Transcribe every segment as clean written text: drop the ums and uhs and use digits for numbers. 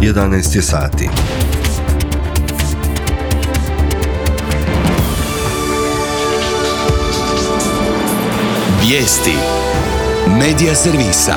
11 je sati. Vijesti Medija servisa.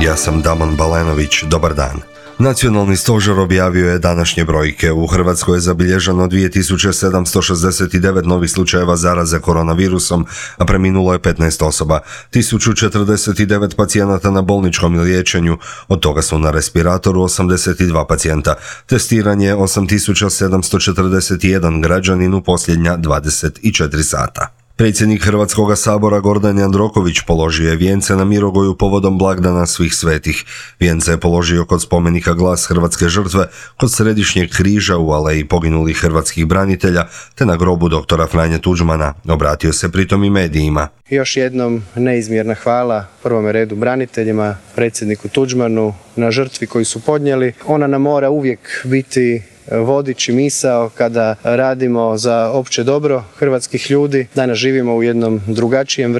Ja sam Damon Balenović, dobar dan. Nacionalni stožer objavio je današnje brojke. U Hrvatskoj je zabilježeno 2769 novih slučajeva zaraze koronavirusom, a preminulo je 15 osoba. 1049 pacijenata na bolničkom liječenju, od toga su na respiratoru 82 pacijenta. Testiranje 8741 građanin u posljednja 24 sata. Predsjednik Hrvatskoga sabora Gordan Jandroković položio je vijence na Mirogoju povodom blagdana svih svetih. Vijence je položio kod spomenika Glas hrvatske žrtve, kod Središnjeg križa u aleji poginulih hrvatskih branitelja, te na grobu doktora Franje Tuđmana. Obratio se pritom i medijima. Još jednom neizmjerna hvala prvome redu braniteljima, predsjedniku Tuđmanu, na žrtvi koju su podnijeli. Ona nam mora uvijek biti vodič i misao kada radimo za opće dobro hrvatskih ljudi. Danas živimo u jednom drugačijem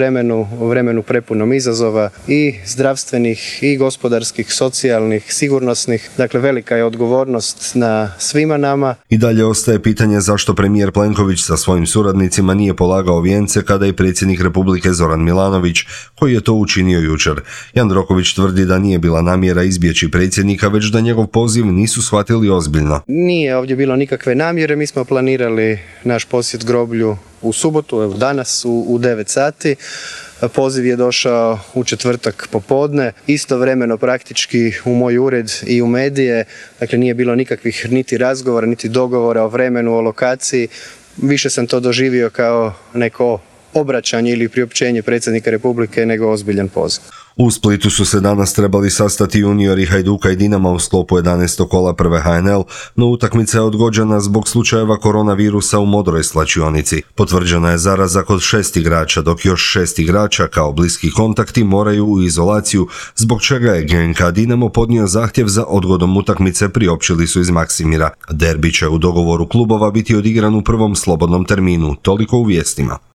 vremenu prepunom izazova i zdravstvenih, i gospodarskih, socijalnih, sigurnosnih. Dakle, velika je odgovornost na svima nama. I dalje ostaje pitanje zašto premijer Plenković sa svojim suradnicima nije polagao vijence kada i predsjednik Republike Zoran Milanović, koji je to učinio jučer. Jandroković tvrdi da nije bila namjera izbjeći predsjednika, već da njegov poziv nisu shvatili ozbiljno. Nije ovdje bilo nikakve namjere, mi smo planirali naš posjet groblju u subotu, evo danas u 9 sati. Poziv je došao u četvrtak popodne, istovremeno praktički u moj ured i u medije, dakle nije bilo nikakvih niti razgovora, niti dogovora o vremenu, o lokaciji. Više sam to doživio kao neko obraćanje ili priopćenje predsjednika Republike nego ozbiljan poziv. U Splitu su se danas trebali sastati juniori Hajduka i Dinama u sklopu 11. kola prve HNL, no utakmica je odgođena zbog slučajeva koronavirusa u Modroj slačionici. Potvrđena je zaraza kod 6 igrača, dok još 6 igrača kao bliski kontakti moraju u izolaciju, zbog čega je GNK Dinamo podnio zahtjev za odgodom utakmice, priopćili su iz Maksimira. Derbi će u dogovoru klubova biti odigran u prvom slobodnom terminu, toliko u vijestima.